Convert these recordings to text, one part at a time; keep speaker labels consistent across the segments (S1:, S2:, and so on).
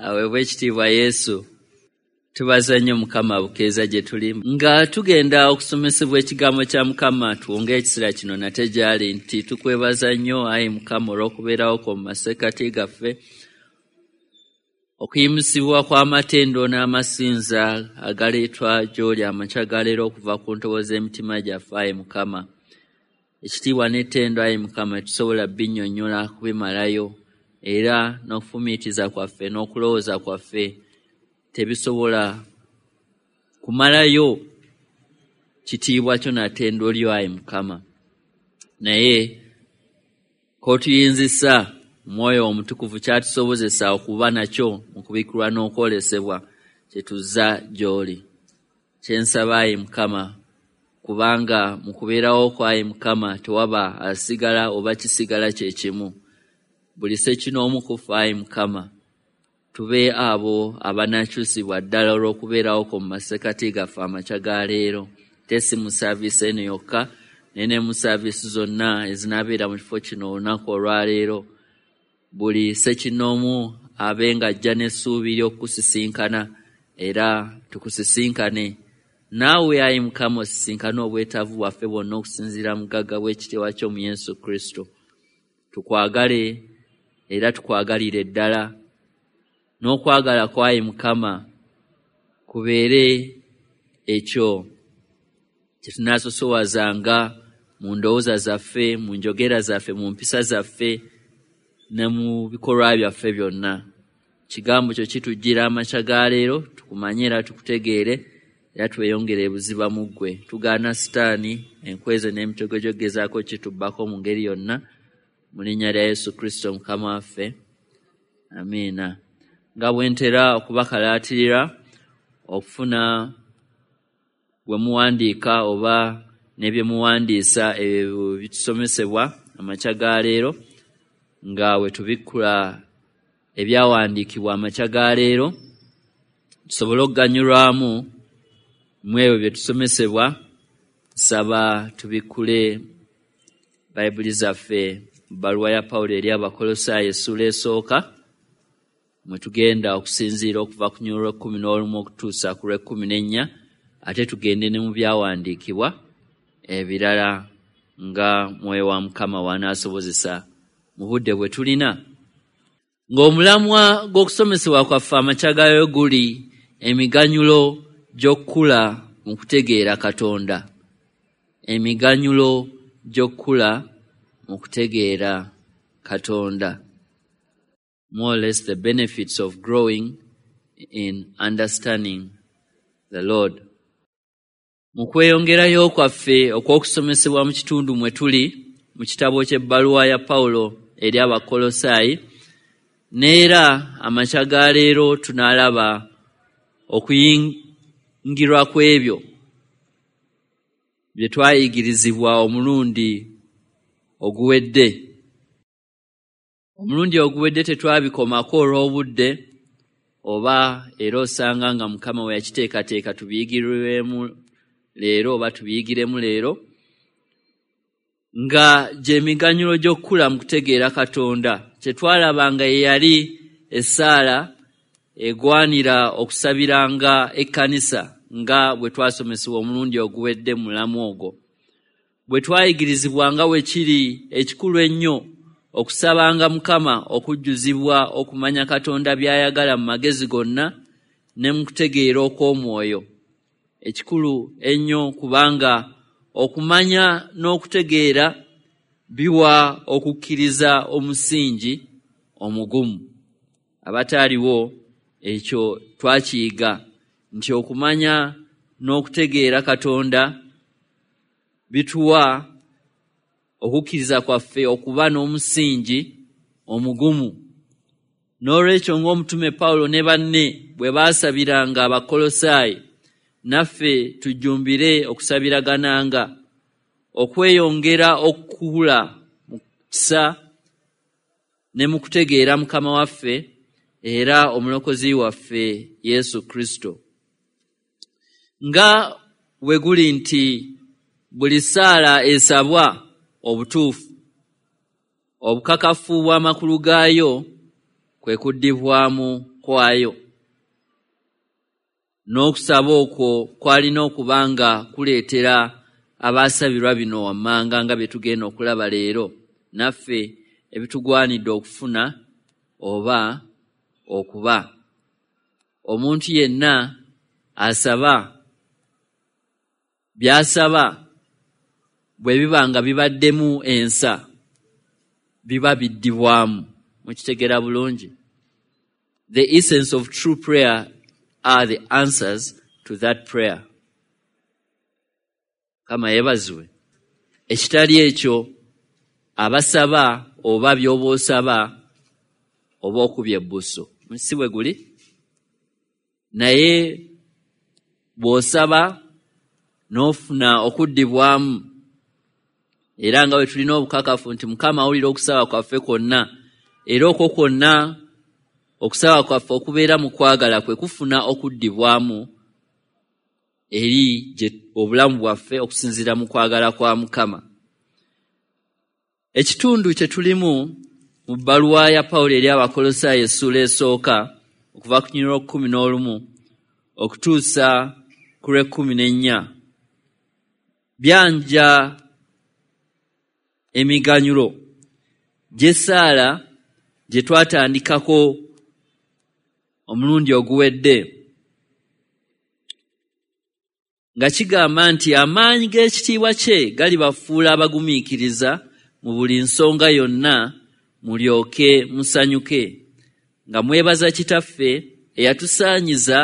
S1: Aweebwe ekitiibwa Yesu. Tubaza nnyo Mukama bukeeza gye tuli nga tugenda okusomesebwa ekigambo kya Mukama. Tuwonge ekisira kino nate gy'ali nti tukwebaza nnyo ayi Mukama olw'okubeerawo kwo mu masekkati gaffe, okuyimusibwa kw'amatendo n'amasinza agaleetwa gy'oli amakya ga leero okuva ku ntobo z'emitima gyaffe ayi Mukama. Ekitiibwa n'ettendo ayi Mukama tetusobola binnyonnyola kubimalayo, era n'okufumiitiriza kwaffe n'okulowooza kwaffe tebisobola kumalayo kitiibwa kyo na ttendo lyo ayi Mukama. Naye k'otuyinzisa Omwoyo Omutukuvu kyatusobozesa okuba nakyo mu kubikkulwa n'okwolesebwa kye tuzza gy'oli. Kye nsaba ayi Mukama, kubanga mu kubeerawo kwo ayi Mukama tewaba asigala oba kisigala kye kimu. Buli ssekinoomu ku ffe ayi Mukama tube abo abanaakyusibwa ddala olw'okubeerawo kwo mu masekkati gaffe amakya ga leero, te si mu saaviisi eno yokka naye ne mu saaviisi zonna ezinaabeera mu kifo kino olunaku olwaleero. Buli ssekinoomu abe ng'ajja n'essuubi ly'okukusisinkana, era tukusisinkane naawe ayi Mukama, osisinkane obwetaavu bwaffe bwonna okusinziira mu bugagga bw'ekitiibwa kyo mu Yesu Kristo. Tukwagale era tukwagalire ddala, n'okwagala kwa ayi Mukama kubeere ekyo kye tunaasosowazanga mu ndowooza zaffe, mu njogera zaffe, mu mpisa zaffe ne mu bikolwa byaffe byonna. Kigambo kyo kitujjira amakya ga leero, tukumanye era tukutegeere, era tweyongere ebuziba mu ggwe. Tugaana Sitaani, enkweze n'emitego gy'ogezaako kitubbako mu ngeri yonna, mu linnya lya Yesu Kristo Mukama waffe. Amiina. Nga bwe ntera okubakalaatirira okufuna bwe muwandiika oba ne bye muwandiisa ebyo bitusomesebwa amakya ga leero, nga bwe tubikkula ebyawandiikibwa amakya ga leero, tusobole okuganyulwamu mu ebyo bye tusomesebwa. Nsaba tubikkule Bayibuli zaffe mu bbaluwa ya Pawulo eri Abakolosaayi essuula esooka, mwe tugenda okusinziira okuva ku lunyiriri lw'ekkumi n'olumu okutuusa ku lw'ekkumi n'ennya, ate tugende ne mu byawandiikibwa ebirala nga Mwoyo wa Mukama w'anaasobozesa mu budde bwe tulina. Ng'omulamwa gw'okusomesebwa kwaffe amakya gaayo guli emiganyulo gy'okukula mu kutegeera Katonda. Emiganyulo gy'okukula mu kutegeera Katonda. More or less the benefits of growing in understanding the Lord. Mu kweyongerayo kwaffe okw'okusomesebwa mu kitundu mwe tuli mu kitabo ky'ebbaluwa ya Pawulo eri Abakolosaayi, n'era amakya ga leero tunaalaba okuyingirwa kw'ebyo bye twayigirizibwa omulundi oguwedde. Omulundi oguwedde tetwabikomako olw'obudde, oba era osanga nga Mukama we yakiteekateeka tubiyigirwemu leero oba tubiyigiremu leero, nga gy'emiganyulo gy'okukula mu kutegeera Katonda. Kye twalaba nga ye yali essaala egwanira okusabiranga ekkanisa nga bwe twasomesebwa omulundi oguwedde mu mulamu ogwo. Bwe twayigirizibwa nga bwe kiri ekikulu ennyo okusabanga Mukama okujjuzibwa okumanya Katonda by'ayagala mu magezi gonna ne mu kutegeera okw'omwoyo. Ekikulu ennyo kubanga okumanya n'okutegeera biwa okukkiriza omusingi omugumu. Abataaliwo ekyo twakiyiga nti okumanya n'okutegeera Katonda bituwa okukkiriza kwaffe okuba n'omusingi omugumu. N'olwekyo ng'omutume Pawulo ne banne bwe baasabiranga Abakolosaayi, naffe tujjumbire okusabiragananga okweyongera okukula mu kisa ne mu kutegeera Mukama waffe era Omulokozi waffe Yesu Kristo. Nga bwe guli nti buli ssaala esabwa obutuufu, obukakafu bw'amakulu gaayo kwe kuddibwamu kwayo. N'okusaba okwo kwalina okuba nga kuleetera abaasabirwa bino wammanga nga bye tugenda okulaba leero naffe ebitugwanidde okufuna oba okuba. Omuntu yenna asaba by'asaba bwe biba nga bibaddemu ensa biba biddibwamu. Mukitegeera bulungi. The essence of true prayer are the answers to that prayer. Mukama yeebazibwe. Ekitali ekyo abasaba oba by'oba osaba oba okubye ebbuso. Si bwe guli? Naye bw'osaba n'ofuna okuddibwamu, era nga bwe tulina obukakafu nti Mukama awulira okusaba kwaffe kwonna, era okwo kwonna okusaba kwaffe okubeera mu kwagala kwe kufuna okuddibwamu eri obulamu bwaffe okusinziira mu kwagala kwa Mukama. Ekitundu kye tulimu mu bbaluwa ya Pawulo eri Abakolosaayo essuula esooka okuva ku lunyiriri lw'okkumi n'olumu okutuusa ku lw'ekkumi n'ennya byanja emiganyulo gy'essaala gye twatandikako omulundi oguwedde, nga kigamba nti amaanyi g'ekitiibwa kye galibafuula abagumiikiriza mu buli nsonga yonna, mulyoke musanyuke nga mwebaza Kitaffe eyatusaanyiza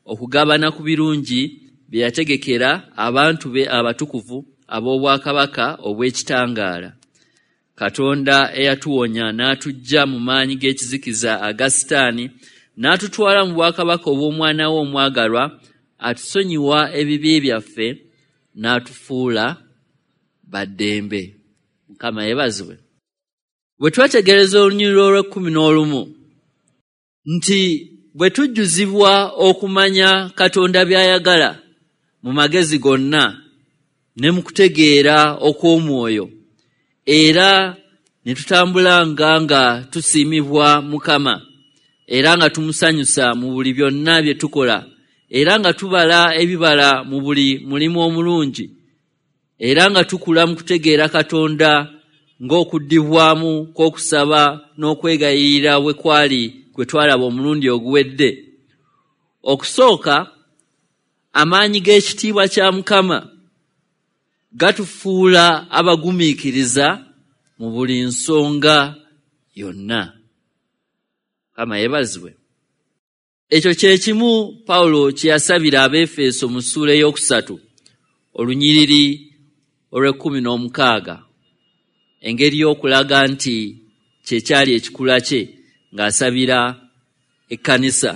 S1: okugabana ku birungi bye yategekera abantu be abatukuvu ab'obwakabaka obw'ekitangaala. Katonda eyatuwonya n'atuggya mu maanyi g'ekizikiza aga Sitaani n'atutwala mu bwakabaka obw'omwana we omwagalwa, atusonyiwa ebibi byaffe n'atufuula baddembe. Mukama yeebazibwe. Bwe twetegereza olunyiriri olw'ekkumi n'olumu nti bwe tujjuzibwa okumanya Katonda by'ayagala mu magezi gonna ne mu kutegeera okw'omwoyo, era ne tutambulanga nga tusiimibwa Mukama, era nga tumusanyusa mu buli byonna bye tukola, era nga tubala ebibala mu buli mulimu omulungi, era nga tukula mu kutegeera Katonda ng'okuddibwamu kw'okusaba n'okwegayirira bwe kwali kwe twalaba omulundi oguwedde. Okusooka, amaanyi g'ekitiibwa kya Mukama gatufuula abagumiikiriza mu buli nsonga yonna. Mukama yeebazibwe. Ekyo kye kimu Pawulo kye yasabira Abeefeso mu ssuula ey'okusatu olunyiriri olw'ekkumi n'omukaaga, engeri y'okulaga nti kye kyali ekikula kye ng'asabira ekkanisa,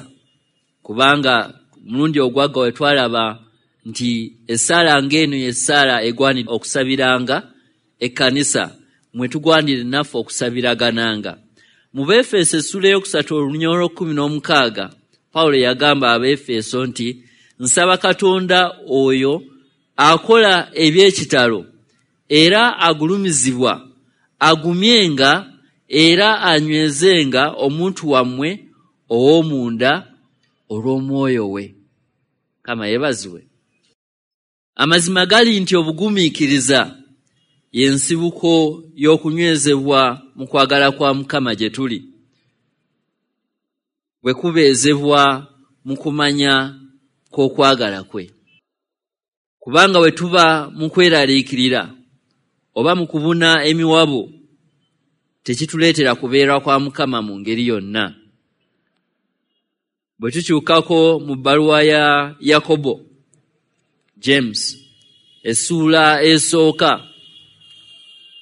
S1: kubanga omulundi ogwagga we twalaba nti essaala ng'eno y'essaala egwanira okusabiranga ekkanisa, mwe tugwanire naffe okusabiragananga. Mu Beefeso essuula ey'okusatu olunyiriri olw'ekkumi n'omukaaga, Pawulo yagamba Abeefeso nti, "Nsaba Katonda oyo akola eby'ekitalo era agulumizibwa agumyenga era anywezenga omuntu wammwe ow'omunda olw'omwoyo we." Mukama yeebazibwe. Amazima gali nti obugumiikiriza y'ensibuko y'okunywezebwa mu kwagala kwa Mukama gye tuli, bwe kubeezebwa mu kumanya kw'okwagala kwe, kubanga bwe tuba mu kweraliikirira oba mu kubuna emiwabo tekituleetera kubeera kwa Mukama mu ngeri yonna. Bwe tukyukako mu bbaluwa ya Yakobo, James, essuula esooka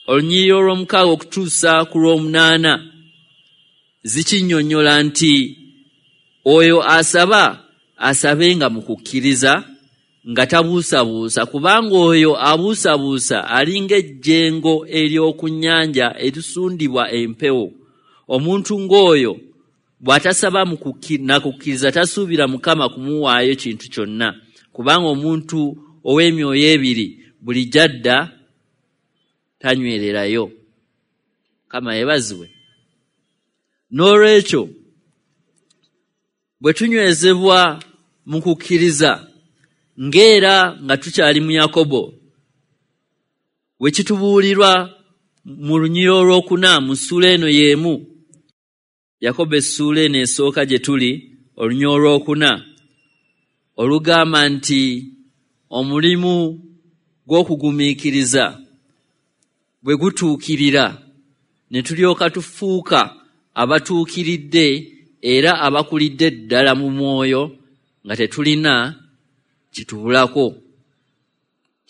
S1: olunyiriri olw'omukaaga okutuusa ku lw'omunaana, zikinnyonnyola nti oyo asaba asabenga mu kukkiriza nga tabuusabuusa, kubanga oyo abuusabuusa alinga ejjengo ery'oku nnyanja erisundibwa empewo. Omuntu ng'oyo bw'atasaba na kukkiriza tasuubira Mukama kumuwaayo kintu kyonna, kubanga omuntu ow'emyoyo ebiri buli gy'adda tanywererayo. Mukama yeebazibwe. N'olwekyo Bwe tunywezebwa mu kukkiriza, ng'era nga tukyali mu Yakobo, we kitubuulirwa mu lunyiriri olwokuna mu ssuula eno y'emu, Yakobo essuula eno esooka gye tuli, olunyiriri olwokuna, olugamba nti omulimu gw'okugumiikiriza bwe gutuukirira ne tulyoka tufuuka abatuukiridde era abakulidde ddala mu mwoyo nga tetulina kitubulako.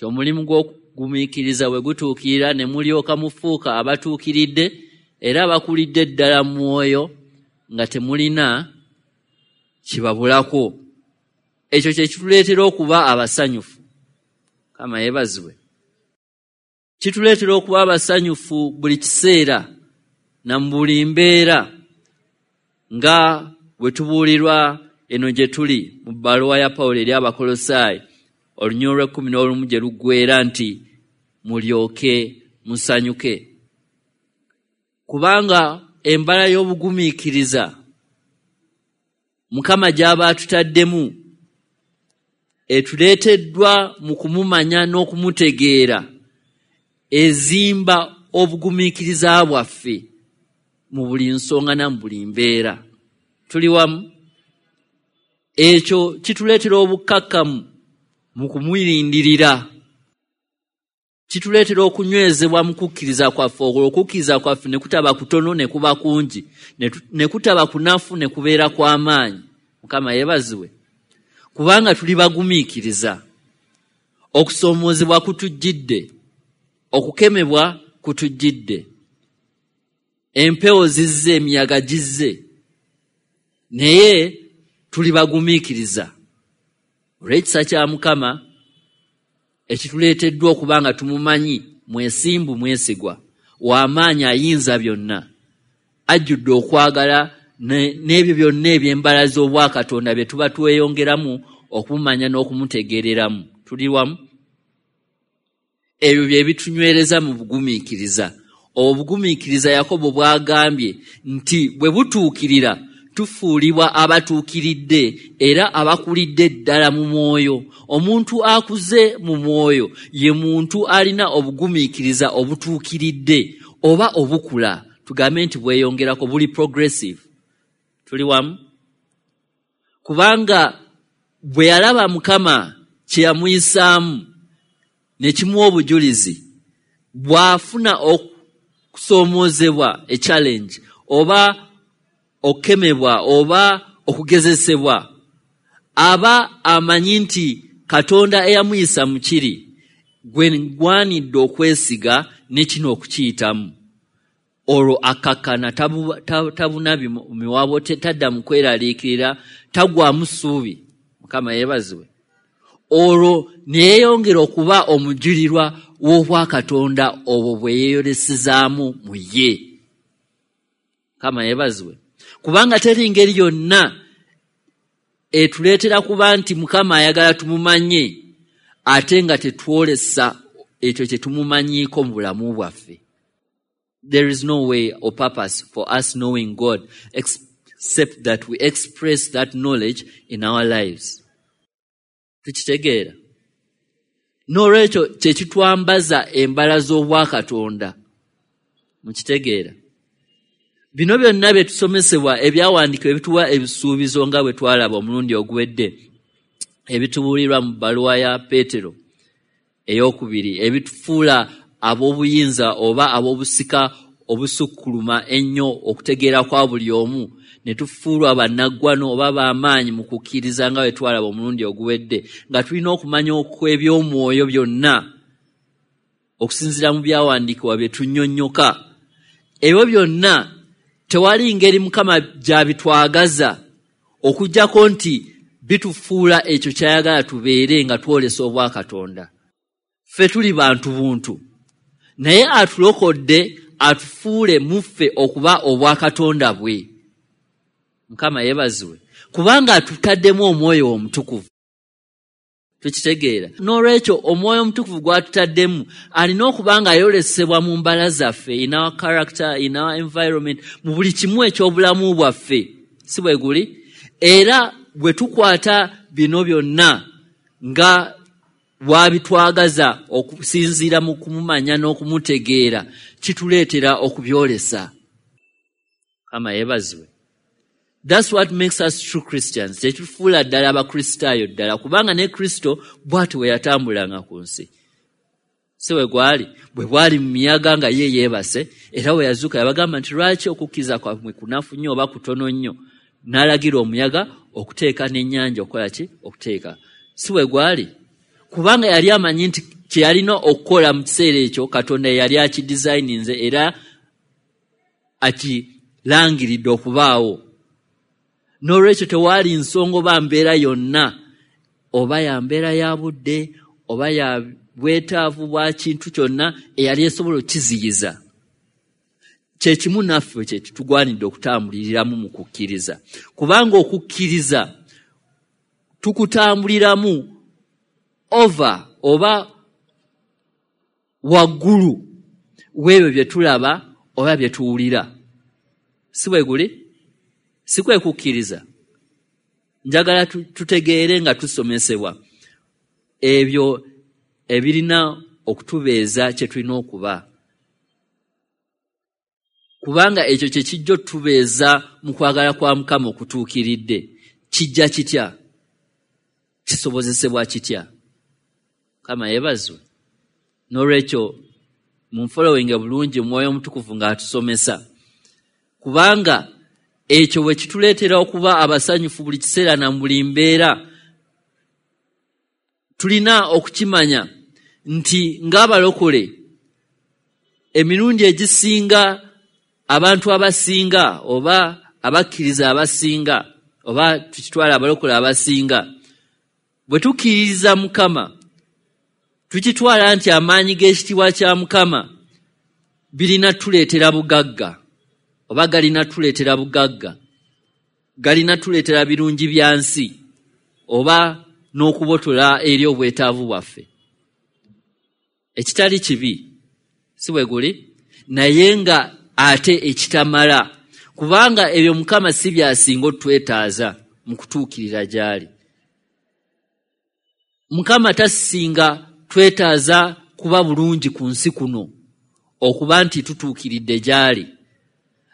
S1: Omulimu gw'okugumiikiriza bwe gutuukirira ne mulyoka mufuuka abatuukiridde era abakulidde ddala mu mwoyo nga temulina kibabulako. Ekyo kye kituleetera okuba abasanyufu. Mukama yeebazibwe. Kituleetera okuba abasanyufu buli kiseera na mu buli mbeera, nga bwe tubuulirwa eno gye tuli mu bbaluwa ya Pawulo eri Abakolosaayi olunyiriri olw'ekkumi n'olumu gye luggweera nti mulyoke musanyuke. Kubanga embala y'obugumiikiriza Mukama gy'aba atutaddemu etuleeteddwa mu kumumanya n'okumutegeera, ezimba obugumiikiriza bwaffe mu buli nsonga na mu buli mbeera. Tuli wamu? Ekyo kituleetera obukkakkamu mu kumulindirira, kituleetera okunywezebwa mu kukkiriza kwaffe, olwo okukkiriza kwaffe ne kutaba kutono ne kuba kungi, ne kutaba kunafu ne kubeera kw'amaanyi. Mukama yeebazibwe. Kubanga tuli bagumiikiriza. Okusoomoozebwa kutujjidde, okukemebwa kutujjidde, empewo zizze, emiyaga gizze, naye tuli bagumiikiriza olw'ekisa kya Mukama ekituleeteddwa okuba nga tumumanyi, mwesimbu, mwesigwa, w'amaanyi, ayinza byonna, ajjudde okwagala n'ebyo byonna eby'embala z'obwakatonda bye tuba tweyongeramu okumumanya n'okumutegeereramu. Tuli wamu? Ebyo bye bitunywereza mu bugumiikiriza. Obugumiikiriza Yakobo bw'agambye nti bwe butuukirira tufuulibwa abatuukiridde era abakulidde ddala mu mwoyo. Omuntu akuze mu mwoyo ye muntu alina obugumiikiriza obutuukiridde oba obukula, tugambe nti bweyongerako, buli progressive. Tuli wamu? Kubanga bwe yalaba Mukama kye yamuyisaamu ne kimuwa obujulizi, bw'afuna okusoomoozebwa, e challenge, oba okukemebwa oba okugezesebwa, aba amanyi nti Katonda eyamuyisa mu kiri gwe ngwanidde okwesiga ne kino okukiyitamu. Olwo akkakkana, tabuna miwabo, tadda mu kweraliikirira, tagwamu ssuubi. Mukama yeebazibwe. Olwo ne yeeyongera okuba omujulirwa w'obwakatonda obwo bwe yeeyolesezaamu mu ye. Mukama yeebazibwe. Kubanga teri ngeri yonna etuleetera kuba nti Mukama ayagala tumumanye ate nga tetwolesa ekyo kye tumumanyiiko mu bulamu bwaffe. There is no way or purpose for us knowing God except that we express that knowledge in our lives. Tukitegeera? N'olwekyo kye kitwambaza embala z'obwakatonda. Mukitegeera? Bino byonna bye tusomesebwa, ebyawandiikibwa ebituwa ebisuubizo nga bwe twalaba omulundi oguwedde, ebitubuulirwa mu bbaluwa ya Peetero ey'okubiri, ebitufuula ab'obuyinza oba ab'obusika obusukkuluma ennyo okutegeera kwa buli omu, ne tufuulwa bannaggwano oba b'amaanyi mu kukkiriza nga bwe twalaba omulundi oguwedde, nga tulina okumanya okw'ebyomwoyo byonna okusinziira mu byawandiikibwa bye tunnyonnyoka. Ebyo byonna tewali ngeri Mukama gy'abitwagaza okuggyako nti bitufuula ekyo ky'ayagala tubeere nga twolesa obwakatonda. Ffe tuli bantu buntu, naye atulokodde atufuule mu ffe okuba obwakatonda bwe. Mukama yeebazibwe, kubanga atutaddemu omwoyo omutukuvu. Tukitegeera? N'olwekyo omwoyo omutukuvu gw'atutaddemu alina okuba nga ayolesebwa mu mbala zaffe, in our character, in our environment, mu buli kimu eky'obulamu bwaffe. Si bwe guli? Era bwe tukwata bino byonna nga bw'abitwagaza okusinziira mu kumumanya n'okumutegeera, kituleetera okubyolesa. Mukama yeebazibwe. That's what makes us true Christians. Kyekifuula ddala Abakristaayo ddala, kubanga ne Kristo bw'atyo bwe yatambulanga ku nsi. Si bwe gwali, bwe bwali mu miyaga nga ye yeebase, era bwe yazuuka yabagamba nti lwaki okukkiriza kwammwe kunafu nnyo oba kutono nnyo, n'alagira omuyaga okuteeka n'ennyanja okukola ki? Okuteeka. Si bwe gwali, kubanga yali amanyi nti kye yalina okukola mu kiseera ekyo Katonda yali akidizayininze era akirangiridde okubaawo. N'olwekyo tewaali nsonga oba mbeera yonna, oba ya mbeera ya budde oba ya bwetaavu bwa kintu kyonna eyali esobola okukiziyiza. Kye kimu naffe kye tugwanidde okutambuliriramu mu kukkiriza, kubanga okukkiriza tukutambuliramu over oba waggulu w'ebyo bye tulaba oba bye tuwulira. Si bwe guli? Si kwe kukkiriza? Njagala tutegeere nga tusomesebwa ebyo ebirina okutubeeza kye tulina okuba, kubanga ekyo kye kijja otubeeza mu kwagala kwa Mukama okutuukiridde. Kijja kitya? Kisobozesebwa kitya? Mukama yeebazibwe. N'olwekyo munfolowinge bulungi Omwoyo Omutukuvu ng'atusomesa, kubanga ekyo bwe kituleetera okuba abasanyufu buli kiseera na buli mbeera. Tulina okukimanya nti ng'abalokole emirundi egisinga abantu abasinga oba abakkiriza abasinga oba tukitwala abalokole abasinga, bwe tukkiririza Mukama tukitwala nti amaanyi g'ekitiibwa kya Mukama birina tuleetera bugagga oba galina tuleetera bugagga, galina tuleetera birungi bya nsi oba n'okubotola eri obwetaavu bwaffe. Ekitali kibi, si bwe guli? Naye nga ate ekitamala, kubanga ebyo Mukama si by'asinga otwetaaza mu kutuukirira gy'ali. Mukama tasinga twetaaza kuba bulungi ku nsi kuno okuba nti tutuukiridde gy'ali.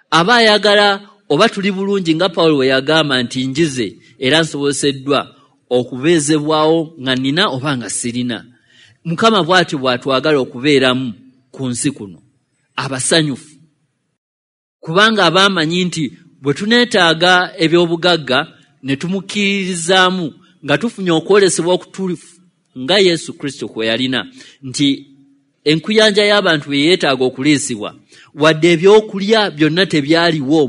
S1: Aba ayagala oba tuli bulungi nga Pawulo bwe yagamba nti njize era nsoboseddwa okubeezebwawo nga nnina oba nga sirina. Mukama bw'atyo bw'atwagala okubeeramu ku nsi kuno abasanyufu, kubanga aba amanyi nti bwe tuneetaaga eby'obugagga ne tumukkiririzaamu nga tufunye okwolesebwa okutuufu nga Yesu Kristo kwe yalina, nti enkuyanja y'abantu bwe yeetaaga okuliisibwa, wadde ebyokulya byonna tebyaliwo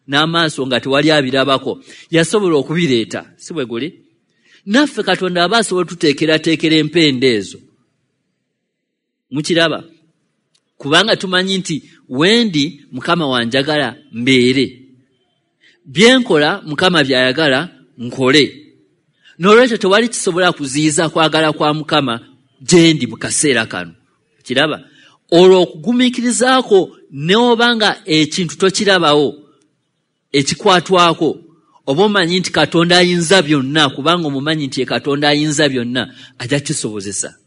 S1: n'amaaso nga tewali abirabako, yasobola okubireeta. Si bwe guli? Naffe Katonda aba asobola otuteekerateekera empenda ezo. Mukiraba? Kubanga tumanyi nti wendi Mukama wanjagala mbeere, byenkola Mukama by'ayagala nkole. N'olwekyo tewali kisobola kuziyiza kwagala kwa Mukama gye ndi mu kaseera kano. Kiraba? Olwo okugumiikirizaako n'oba nga ekintu tokirabawo ekikwatwako, oba omanyi nti Katonda ayinza byonna, kubanga omumanyi nti ye Katonda ayinza byonna, ajja kisobozesa.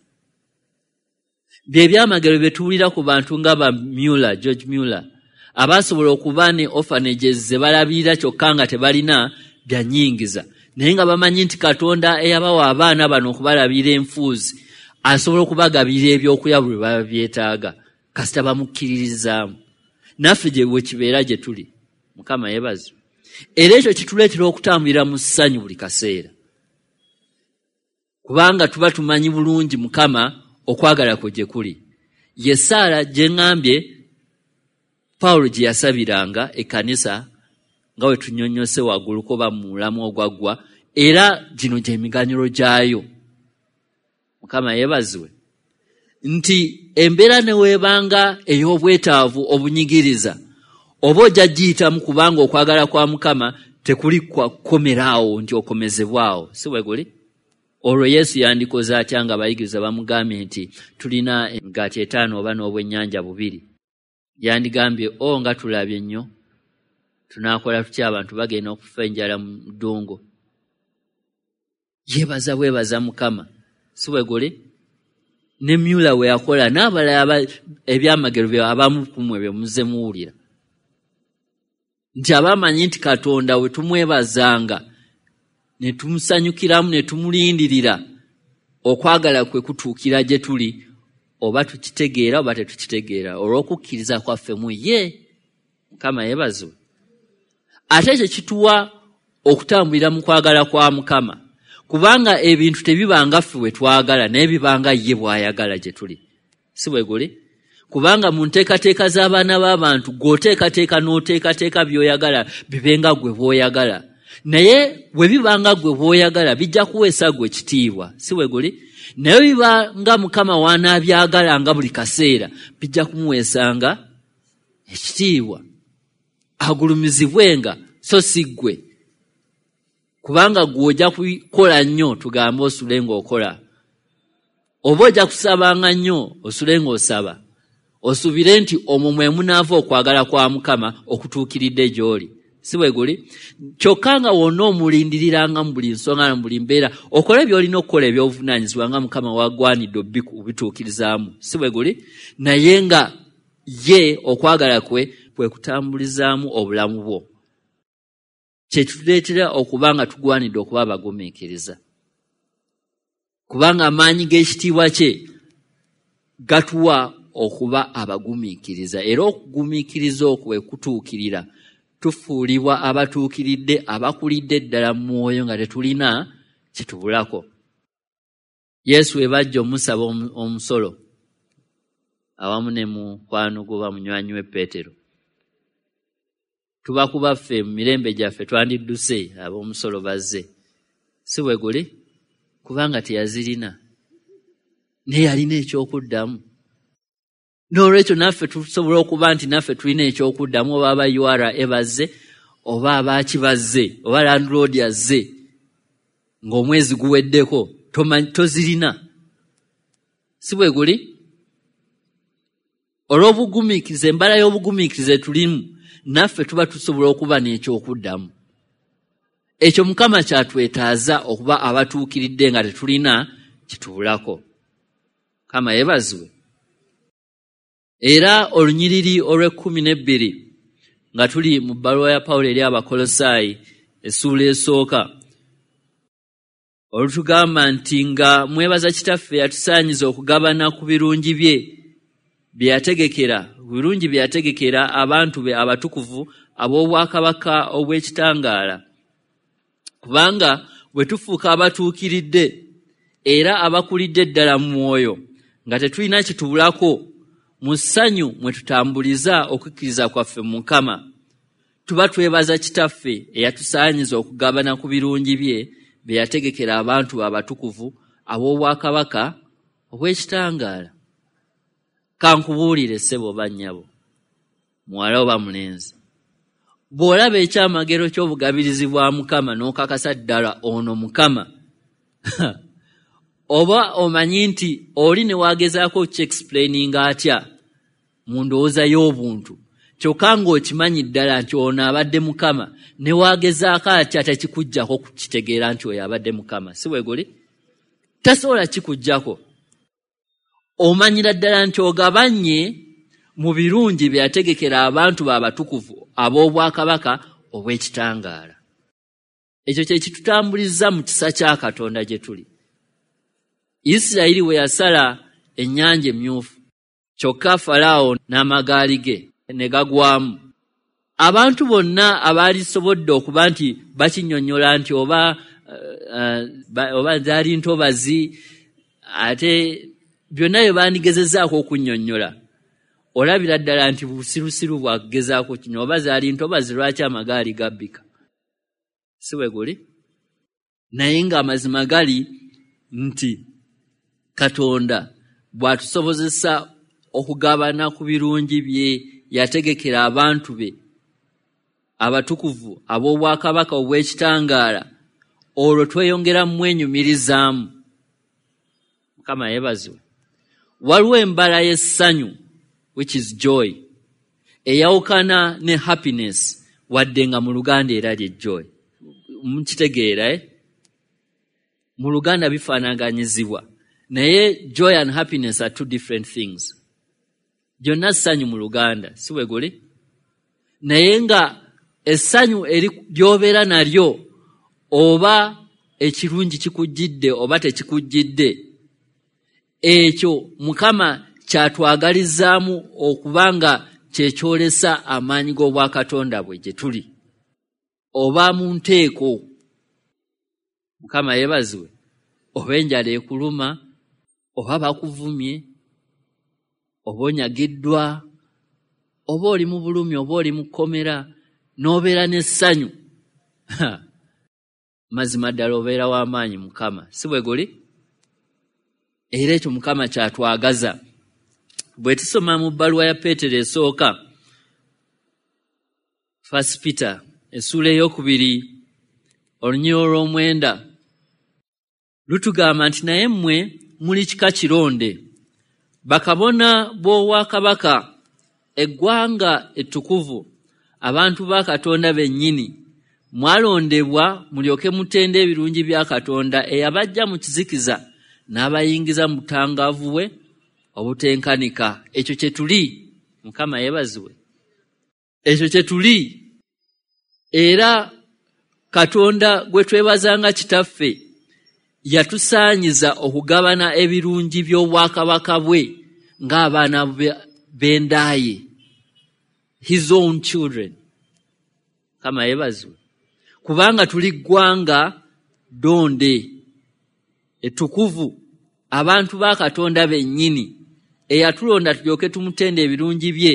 S1: Bye byamagero bye tuwulira ku bantu nga ba Muller, George Muller, abasobola okuba ne orphanages ze balabirira kyokka nga tebalina bya nnyingiza, naye nga bamanyi nti Katonda eyabawa abaana bano okubalabirira enfuuzi asobola okubagabirira ebyokulya buli lwe baba byetaaga kasita bamukkiririzaamu. Naffe gye bwe kibeera gye tuli. Mukama yeebazibwe. Era ekyo kituleetera okutambulira mu ssanyu buli kaseera, kubanga tuba tumanyi bulungi Mukama okwagala kwe gye kuli. Ye ssaala gye ŋŋambye Pawulo gye yasabiranga ekkanisa nga bwe tunnyonnyose waggulu ko ba mu mulamu ogwaggwa, era gino gye miganyulo gyayo. Mukama yeebazibwe nti embeera ne weebanga ey'obwetaavu obunyigiriza, oba ojja giyitamu, kubanga okwagala kwa Mukama tekuli kukomeraawo nti okomezebwawo. Si bwe guli? Olwo Yesu yandikoze atya nga abayigiriza bamugambye nti tulina emigaati 5 oba n'obwennyanja 2? Yandigambye, o nga tulabye nnyo, Tunaakola tutya? Abantu bagenda okufa enjala mu ddungu. Yeebaza bwebaza Mukama. Si bwe guli? Ne Myula we yakola n'abalala ebyamagero bye abamu ku mmwe bye muzze muwulira. Nti abamanyi nti Katonda we tumwebazanga ne tumusanyukiramu ne tumulindirira, okwagala kwe kutuukira gye tuli, oba tukitegeera oba tetukitegeera, olw'okukkiriza kwaffe mu ye. Mukama yeebazibwe. Ate ekyo kituwa okutambulira mu kwagala kwa Mukama, kubanga ebintu tebibanga ffe bwe twagala, naye bibanga ye bw'ayagala gye tuli. Si bwe guli? Kubanga mu nteekateeka z'abaana b'abantu gw'oteekateeka n'oteekateeka by'oyagala bibenga gwe bw'oyagala, naye bwe bibanga gwe bw'oyagala bijja kuweesa gwe kitiibwa. Si bwe guli? Naye bibanga Mukama w'anaabyagala nga buli kaseera bijja kumuweesanga ekitiibwa, agulumizibwenga so si ggwe. Kubanga ggwe ojja kukola nnyo, tugambe osule ng'okola, oba ojja kusabanga nnyo osule ng'osaba, osuubire nti omwo mwe munaava okwagala kwa Mukama okutuukiridde gy'oli. Si bwe guli? Kyokka nga wonna omulindiriranga mu buli nsonga na mu buli mbeera, okole by'olina okukola eby'obuvunaanyizibwa nga Mukama w'agwanidde obituukirizaamu. Si bwe guli? Naye nga ye okwagala kwe kwe kutambulizaamu obulamu bwo, kye kituleetera okuba nga tugwanidde okuba abagumiikiriza, kubanga amaanyi g'ekitiibwa kye gatuwa okuba abagumiikiriza. Era okugumiikiriza okwo bwe kutuukirira, tufuulibwa abatuukiridde, abakulidde ddala mu mwoyo nga tetulina kitubulako. Yesu we bajja omusaba omusolo awamu ne mukwano gwe oba munywanyi we Peetero, tuba kuba ffe mu mirembe gyaffe twandidduse ab'omusolo bazze. Si bwe guli? Kubanga teyazirina, naye yalina ekyokuddamu. N'olwekyo naffe tusobola okuba nti naffe tulina ekyokuddamu, oba aba URA bazze, oba abaaki bazze, oba landlord azze ng'omwezi guweddeko, tozirina. Si bwe guli? Olw'obugumiikiriza, embala y'obugumiikiriza tulimu, naffe tuba tusobola okuba n'ekyokuddamu. Ekyo Mukama kyatwetaaza okuba abatuukiridde nga tetulina kitubulako. Mukama yeebazibwe. Era olunyiriri olw'e12 nga tuli mu bbaluwa ya Pawulo eri Abakolosaayi essuula esooka, olutugamba nti nga mwebaza Kitaffe yatusaanyiza okugabana ku birungi bye bye yategekera, birungi bye yategekera abantu be abatukuvu ab'obwakabaka obw'ekitangaala. Kubanga bwe tufuuka abatuukiridde era abakulidde ddala mu mwoyo nga tetulina kitubulako, mu ssanyu mwe tutambuliza okukkiriza kwaffe mu Mukama, tuba twebaza Kitaffe eyatusaanyiza okugabana ku birungi bye bye yategekera abantu be abatukuvu ab'obwakabaka obw'ekitangaala. Kankubuulire ssebo oba nnyabo, muwala oba mulenzi, bw'olaba ekyamagero ky'obugabirizi bwa Mukama n'okakasa ddala ono Mukama, oba omanyi nti oli ne wagezaako okukyexplaininga atya mu ndowooza y'obuntu, kyokka ng'okimanyi ddala nti ono abadde Mukama, ne wagezaako atya tekikuggyako kukitegeera nti oyo abadde Mukama. Si bwe guli? Tasobola kikuggyako. Omanyira ddala nti ogabanye mu birungi bye yategekera abantu be abatukuvu ab'obwakabaka obw'ekitangaala. Ekyo kye kitutambuliza mu kisa kya Katonda gye tuli. Isirayiri bwe yasala ennyanja emyufu, kyokka Falaawo n'amagaali ge ne gagwamu. Abantu bonna abaalisobodde okuba nti bakinnyonnyola nti oba zaali ntobazi, ate byonna bye bandigezezaako okunnyonnyola, olabira ddala nti busirusiru bwakugezaako kino, oba zaali ntobazi lwaki amagaali gabbika? Si bwe guli? Naye ng'amazima gali nti Katonda bw'atusobozesa okugabana ku birungi bye yategekera abantu be abatukuvu ab'obwakabaka obw'ekitangaala, olwo tweyongera mwenyumirizaamu. Mukama yeebazibwe. Waliwo embala y'essanyu, which is joy, eyawukana ne happiness. Wadde nga mu Luganda era lye joy. Mukitegeera, eh? Mu Luganda bifaanaganyizibwa. Naye joy and happiness are two different things. Gyonna ssanyu mu Luganda, si bwe guli? Naye nga essanyu ly'obeera nalyo oba ekirungi kikujjidde oba tekikujjidde, ekyo Mukama kyatwagalizaamu okuba nga kyekyolesa amaanyi g'obwakatonda bwe gye tuli. Oba mu nteeko, Mukama yeebazibwe, oba enjala ekuluma, oba bakuvumye, oba onyagiddwa, oba oli mu bulumi, oba oli mu kkomera, n'obeera n'essanyu. Mazima ddala obeera w'amaanyi Mukama, si bwe guli? Era ekyo Mukama kyatwagaza. Bwe tusoma mu bbaluwa ya Peetero esooka, First Peter, essuula 2, olunyiriri olw'omwenda, lutugamba nti naye mmwe muli kika kironde, bakabona b'obwakabaka, eggwanga ettukuvu, abantu ba Katonda bennyini, mwalondebwa mulyoke mutende ebirungi bya Katonda eyabajja mu kizikiza n'abayingiza mu butangaavu bwe obutenkanika. Ekyo kye tuli. Mukama yeebazibwe. Ekyo kye tuli. Era Katonda gwe twebazanga Kitaffe yatusaanyiza okugabana ebirungi by'obwakabaka bwe ng'abaana b'endaaye, his own children. Mukama yeebazibwe. Kubanga tuli ggwanga ddonde ettukuvu, abantu ba Katonda bennyini, eyatulonda tulyoke tumutende ebirungi bye,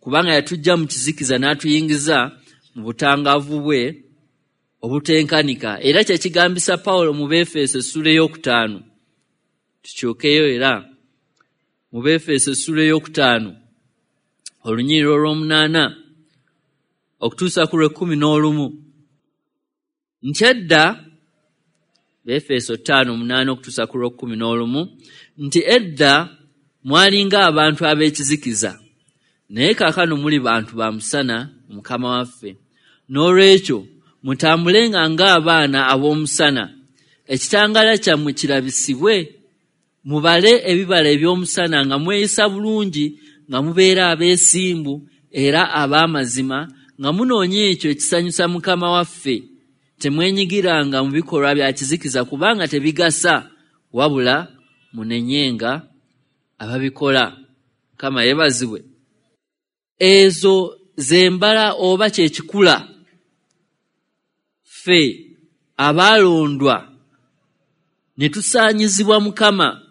S1: kubanga yatuggya mu kizikiza n'atuyingiza mu butangaavu bwe obutenkanika. Era kye kigambisa Pawulo mu Beefeso essuula 5. Tukyukeyo era mu Beefeso essuula 5, olunyiriri olw'omunaana okutuusa ku lw'ekkumi n'olumu. Nti edda, Beefeso 5:8 okutuusa ku lw'ekkumi n'olumu, nti edda mwalinga abantu ab'ekizikiza, naye kaakano muli bantu ba musana Mukama waffe. N'olwekyo mutambulenga ng'abaana ab'omusana, ekitangaala kyammwe kirabisibwe, mubale ebibala eby'omusana nga mweyisa bulungi, nga mubeera abeesimbu era ab'amazima, nga munoonya ekyo ekisanyusa Mukama waffe. Temwenyigiranga mu bikolwa bya kizikiza kubanga tebigasa, wabula munenyenga ababikola. Mukama yeebazibwe. Ezo z'embala oba kye kikula ffe abaalondwa ne tusaanyizibwa Mukama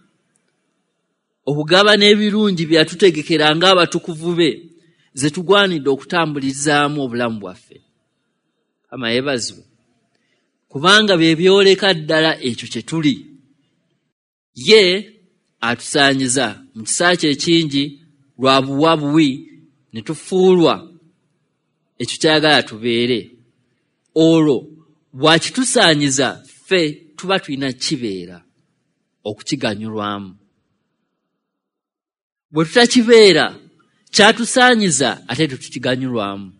S1: okugabana ebirungi bye yatutegekera ng'abatukuvu be, ze tugwanidde okutambulizaamu obulamu bwaffe. Mukama yeebazibwe. Kubanga bye byoleka ddala ekyo kye tuli. Ye atusaanyiza mu kisa kye ekingi lwa buwa buwi ne tufuulwa ekyo ky'ayagala tubeere. Olwo bw'akitusaanyiza ffe tuba tulina kibeera okukiganyulwamu. Bwe tutakibeera kyatusaanyiza ate tetukiganyulwamu.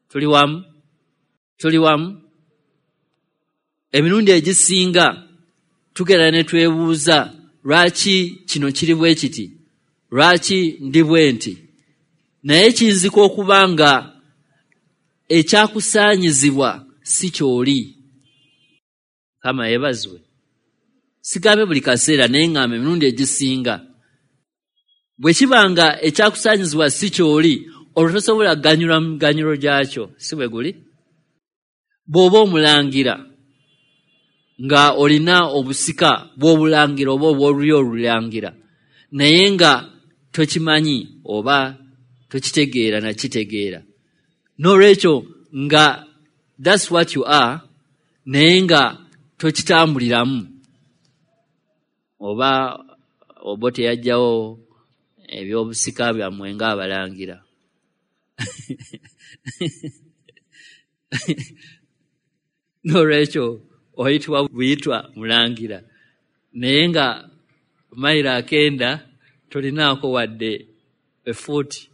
S1: Tuli wamu? Tuli wamu? Emirundi egisinga tugenda ne twebuuza lwaki kino kiri bwe kiti, lwaki ndi bwe nti. Naye kiyinzika okuba nga ekyakusaanyizibwa si ky'oli. Mukama yeebazibwe. Sigambe buli kaseera, naye ŋŋamba emirundi egisinga. Bwe kiba nga ekyakusaanyizibwa si ky'oli, olwo tosobola kuganyulwa mu miganyulo gyakyo, si bwe guli? Bw'oba omulangira nga olina obusika bw'obulangira oba obw'olulyo olulangira, naye nga tokimanyi oba tokitegeera nakitegeera. N'olwekyo nga that's what you are, naye nga tokitambuliramu. Oba obo teyajjawo eby'obusika byammwe ng'abalangira. N'olwekyo oyitibwa buyitwa mulangira, naye nga mayiro akenda tolinaako wadde efuuti.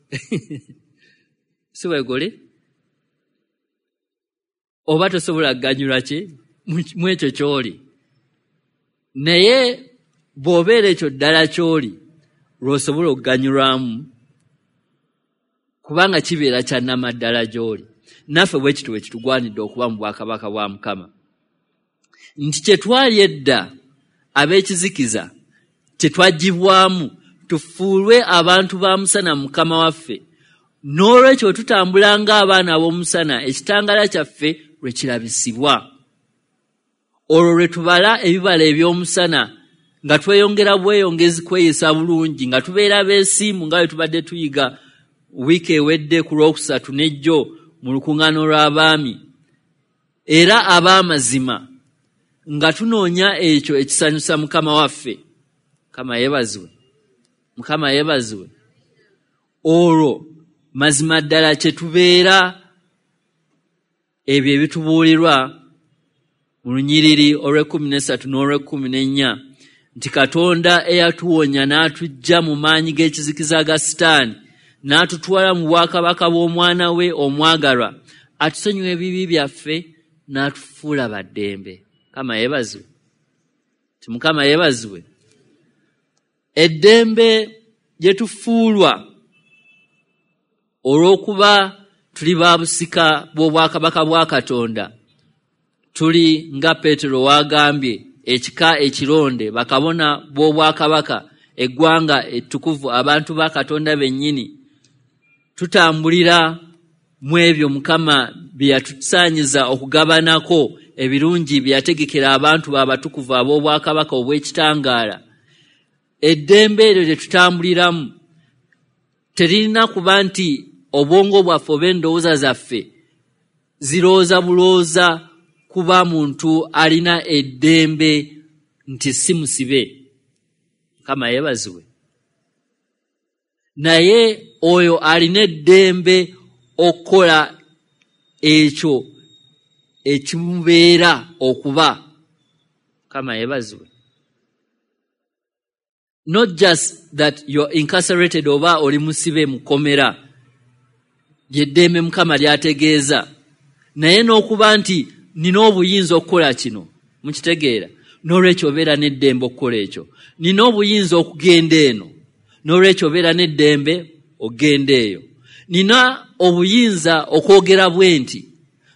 S1: Si bwe guli? Oba tosobola kuganyulwa ki mu ekyo ky'oli. Naye bw'obeera ekyo ddala ky'oli, lw'osobola okuganyulwamu, kubanga kibeera kya nnamaddala gy'oli. Naffe bwe kityo bwe kitugwanidde okuba mu bwakabaka bwa Mukama. Nti kye twali edda ab'ekizikiza, kye twaggyibwamu tufuulwe abantu ba musana Mukama waffe. N'olwekyo bwe tutambula ng'abaana ab'omusana, ekitangaala kyaffe lwe kirabisibwa. Olwo lwe tubala ebibala eby'omusana, nga tweyongera bweyongezi kweyisa bulungi, nga tubeera beesiimu nga bwe tubadde tuyiga wiiki ewedde ku Lwokusatu n'ejjo mu lukuŋŋaana lw'abaami, era ab'amazima, nga tunoonya ekyo ekisanyusa Mukama waffe. Mukama yeebazibwe. Mukama yeebazibwe. Olwo mazima ddala kye tubeera ebyo ebitubuulirwa mu lunyiriri olw'ekkumi n'esatu n'olw'ekkumi n'ennya, nti Katonda eyatuwonya n'atuggya mu maanyi g'ekizikiza ga Sitaani n'atutwala mu bwakabaka bw'omwana we omwagalwa, atusonyiwa ebibi byaffe n'atufuula ba ddembe. Mukama yeebazibwe. Ti Mukama yeebazibwe. Eddembe lye tufuulwa olw'okuba tuli ba busika bw'obwakabaka bwa Katonda, tuli nga Peetero w'agambye, ekika ekironde, bakabona b'obwakabaka, eggwanga ettukuvu, abantu ba Katonda bennyini. Tutambulira mu ebyo Mukama bye yatusaanyiza okugabanako, ebirungi bye yategekera abantu be abatukuvu ab'obwakabaka obw'ekitangaala. Eddembe eryo lye tutambuliramu teririna kuba nti obwongo bwaffe oba endowooza zaffe zirowooza bulowooza kuba muntu alina eddembe nti si musibe. Mukama yeebazibwe. Naye oyo alina eddembe okukola ekyo ekimubeera okuba. Mukama yeebazibwe. Not just that you're incarcerated oba oli musibe mu kkomera, ly'eddembe Mukama ly'ategeeza, naye n'okuba nti nina obuyinza okukola kino. Mukitegeera? N'olwekyo obeera n'eddembe okukola ekyo. Nina obuyinza okugenda eno, n'olwekyo obeera n'eddembe okugenda eyo. Nina obuyinza okwogera bwe nti,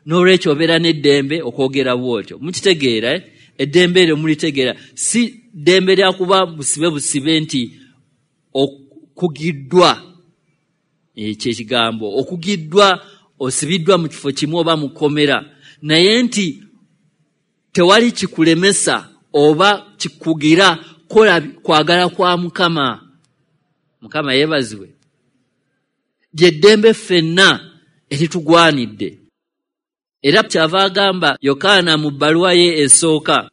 S1: n'olwekyo obeera n'eddembe okwogera bw'otyo. Mukitegeera, eh? Eddembe eryo mulitegeera. Si ddembe lya kuba busibe busibe nti okugiddwa, ekyo ekigambo okugiddwa, osibiddwa mu kifo kimu oba mu kkomera, naye nti tewali kikulemesa oba kikugira kola kwagala kwa Mukama. Mukama yeebazibwe. Ly'eddembe ffenna eritugwanidde. Era kyava agamba Yokaana mu bbaluwa ye esooka,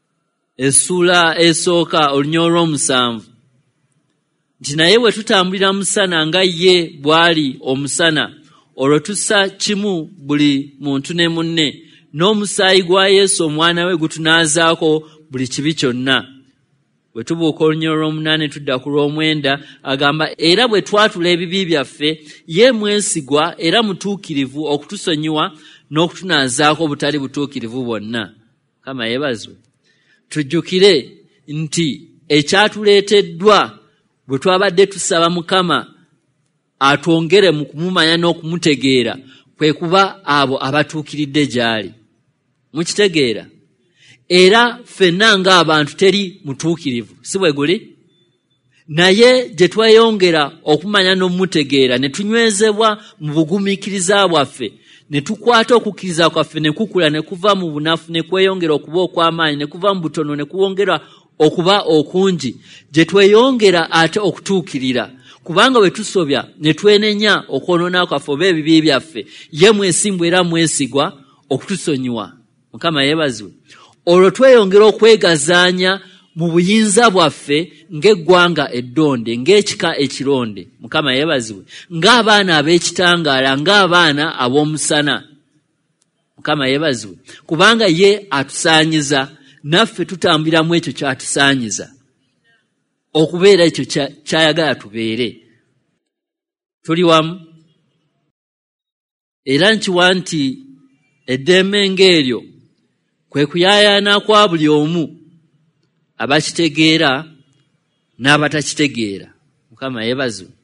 S1: essuula esooka olunya olw'omusanvu, nti naye bwe tutambulira musana nga ye bw'ali omusana, olwo tussa kimu buli muntu ne munne, n'omusaayi gwa Yesu omwana we gutunaazaako buli kibi kyonna. Bwe tubuuka olunya olw'omunaana tudda ku lw'omwenda, agamba era bwe twatula ebibi byaffe, ye mwesigwa era mutuukirivu okutusonyiwa n'okutunaazaako obutali butuukirivu bwonna. Mukama yeebazibwe. Tujjukire nti ekyatuleeteddwa bwe twabadde tusaba Mukama atwongere mu kumumanya n'okumutegeera, kwe kuba abo abatuukiridde gy'ali. Mukitegeera? Era ffenna ng'abantu teri mutuukirivu, si bwe guli? Naye gye tweyongera okumanya n'okumutegeera, ne tunywezebwa mu bugumiikiriza bwaffe, ne tukwata okukkiriza kwaffe ne kukula, ne kuva mu bunafu ne kweyongera okuba okw'amaanyi, ne kuva mu butono ne kuwongera okuba okungi, gye tweyongera ate okutuukirira. Kubanga bwe tusobya ne twenenya okwonoona kwaffe oba ebibi byaffe, ye mwesimbu era mwesigwa okutusonyiwa. Mukama yeebazibwe. Olwo tweyongera okwegazaanya mu buyinza bwaffe ng'eggwanga eddonde, ng'ekika ekironde. Mukama yeebazibwe. Ng'abaana ab'ekitangaala, ng'abaana ab'omusana. Mukama yeebazibwe. Kubanga ye atusaanyiza, naffe tutambulira mu ekyo ky'atusaanyiza okubeera ekyo ky'ayagala tubeere. Tuli wamu. Era nkiwa nti Eddembe ng'eryo kwe kuyaayaana kwa buli omu, abakitegeera n'abatakitegeera. Mukama yeebazibwe.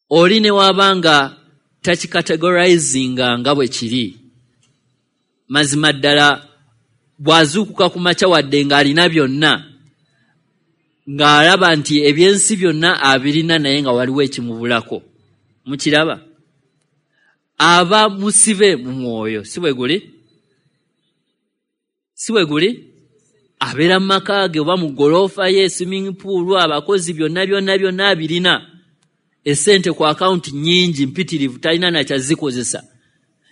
S1: Oli ne waba nga takikategorizinga nga bwe kiri, mazima ddala bw'azuukuka ku makya wadde ng'alina byonna, ng'alaba nti ebyensi byonna abirina naye nga waliwo ekimubulako. Mukiraba? Aba musibe mu mwoyo, si bwe guli? Si bwe guli? Abeera mu maka ge oba mu ggoloofa ye, swimming pool, abakozi, byonna byonna byonna abirina. Essente ku akawunti nnyingi mpitirivu, talina nakyazikozesa,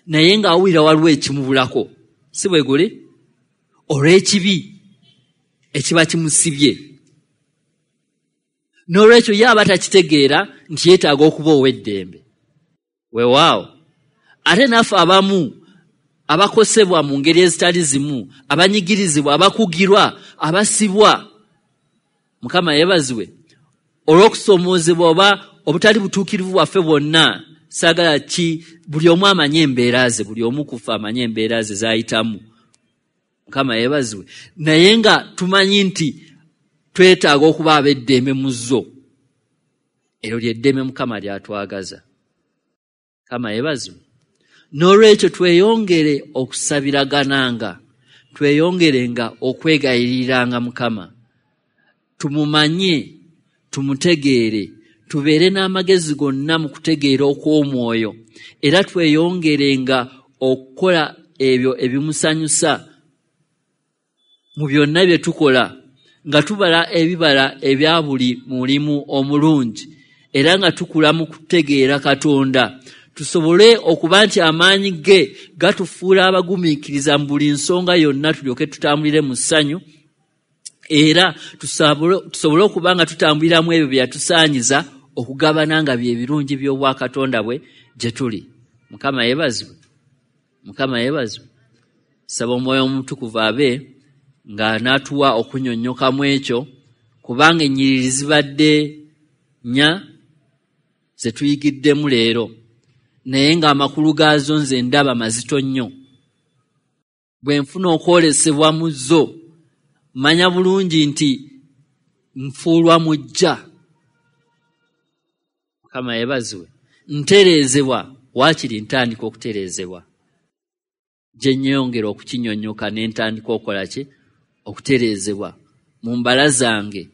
S1: naye ng'awulira waliwo ekimubulako. Si bwe guli? Olw'ekibi ekiba kimusibye. N'olwekyo ye aba takitegeera nti yeetaaga okuba ow'eddembe. Weewaawo. Ate naffe abamu abakosebwa mu ngeri ezitali zimu, abanyigirizibwa, abakugirwa, abasibwa, Mukama yeebazibwe, olw'okusoomoozebwa oba obutali butuukirivu bwaffe bwonna, saagala ki buli omu amanye embeera ze, buli omu kufa amanye embeera ze z'ayitamu. Mukama yeebazibwe. Naye nga tumanyi nti twetaaga okuba ab'eddembe mu zo. Eryo ly'eddembe Mukama ly'atwagaza. Mukama yeebazibwe. N'olwekyo tweyongere okusabiragananga, tweyongerenga okwegayiriranga Mukama. Tumumanye, tumutegeere, tubeere n'amagezi gonna mu kutegeera okw'omwoyo, era tweyongerenga okukola ebyo ebimusanyusa mu byonna bye tukola, nga tubala ebibala ebya buli mulimu omulungi, era nga tukula mu kutegeera Katonda, tusobole okuba nti amaanyi ge gatufuula abagumiikiriza mu buli nsonga yonna, tulyoke tutambulire mu ssanyu, era tusobole okuba nga tutambuliramu ebyo bye yatusaanyiza okugabana nga bye birungi by'obwakatonda bwe gye tuli. Mukama yeebazibwe. Mukama yeebazibwe. Saba Omwoyo Omutukuvu abe ng'anaatuwa okunyonnyokamu ekyo, kubanga ennyiriri zibadde nnya ze tuyigiddemu leero, naye ng'amakulu gaazo nze ndaba mazito nnyo. Bwe nfuna okwolesebwa mu zo, manya bulungi nti nfuulwa mujja. Mukama yeebazibwe. Ntereezebwa, waakiri ntandika okutereezebwa. Gye nnyongera okukinyonnyoka ne ntandika okukola ki? Okutereezebwa mu mbala zange,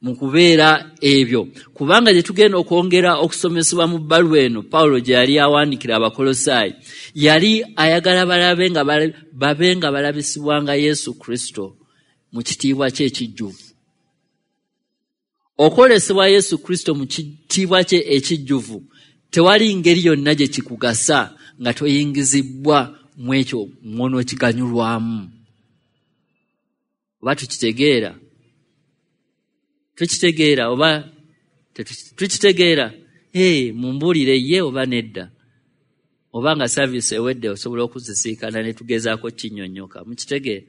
S1: mu kubeera ebyo. Kubanga gye tugenda okwongera okusomesebwa mu bbaluwa eno Pawulo gye yali awandiikira Abakolosaayi, yali ayagala balabe nga babe nga balabisibwanga Yesu Kristo mu kitiibwa kye ekijjuvu. Okwolesebwa Yesu Kristo mu kitiibwa kye ekijjuvu tewali ngeri yonna gye kikugasa nga toyingizibbwa mu ekyo mw'onookiganyulwamu. Oba tukitegeera? Tukitegeera oba tukitegeera? Mumbuulire ye oba nedda. Oba nga service ewedde osobola okuzisiikana ne tugezaako kinnyonnyoka. Mukitegeera?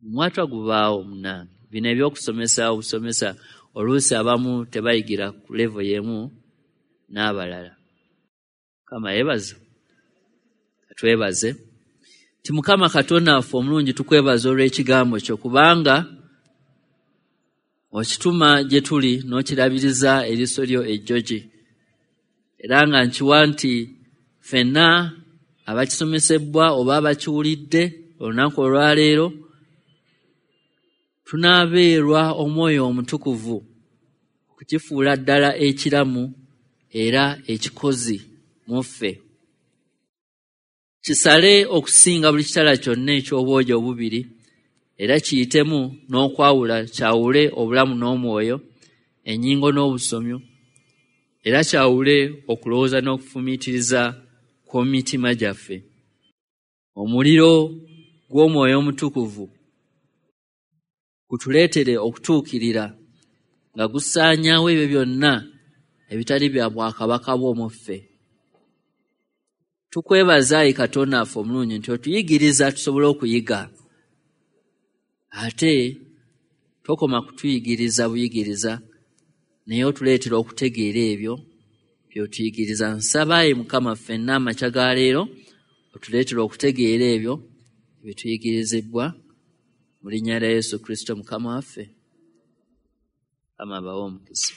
S1: Omwatwa gubaawo munnange. Bino eby'okusomesa obusomesa oluusi abamu tebayigira ku level y'emu n'abalala. Mukama yeebaze. Twebaze nti Mukama Katonda waffe omulungi, tukwebaza olw'ekigambo kyo, kubanga okituma gye tuli n'okirabiriza eriiso lyo ejjogi. Era nga nkiwa nti ffenna abakisomesebwa oba abakiwulidde olunaku olwaleero tunaabeerwa Omwoyo Omutukuvu okukifuula ddala ekiramu era ekikozi mu ffe. Kisale okusinga buli kitala kyonna eky'obwogi obubiri, era kiyitemu n'okwawula, kyawule obulamu n'omwoyo, ennyingo n'obusomyo, era kyawule okulowooza n'okufumiitiriza kw'omu mitima gyaffe. Omuliro gw'Omwoyo Omutukuvu gutuleetere okutuukirira nga gusaanyaawo ebyo byonna ebitali bya bwakabaka bwo mu ffe. Tukwebaza ayi Katonda waffe omulungi nti otuyigiriza tusobole okuyiga. Ate tokoma kutuyigiriza buyigiriza, naye otuleetera okutegeera ebyo by'otuyigiriza. Nsaba ayi Mukama ffenna amakya ga leero Otuleetera okutegeera ebyo ebituyigirizibwa mu linnya lya Yesu Kristo Mukama waffe. Mukama abawe omukisa.